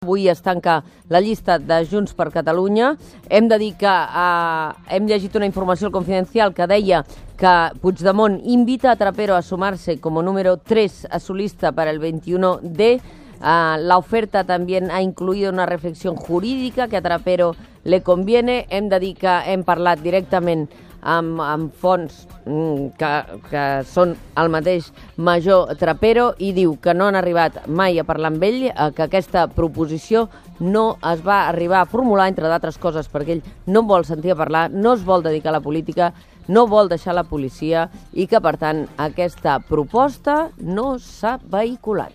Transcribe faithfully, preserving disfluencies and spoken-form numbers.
Avui es tanca la llista de Junts per Catalunya. Hem de dir que eh, hem llegit una informació al Confidencial que deia que Puigdemont invita a Trapero a sumarse como número tres a su lista para el veintiuno D. Uh, la oferta también ha incluido una reflexión jurídica que a Trapero le conviene. Hem de dir que hem parlat directament amb, amb fonts mm, que, que són el mateix major Trapero i diu que no han arribat mai a parlar amb ell, eh, que aquesta proposició no es va arribar a formular, entre d'altres coses, perquè ell no vol sentir a parlar, no es vol dedicar a la política, no vol deixar la policia i que, per tant, aquesta proposta no s'ha vehiculat.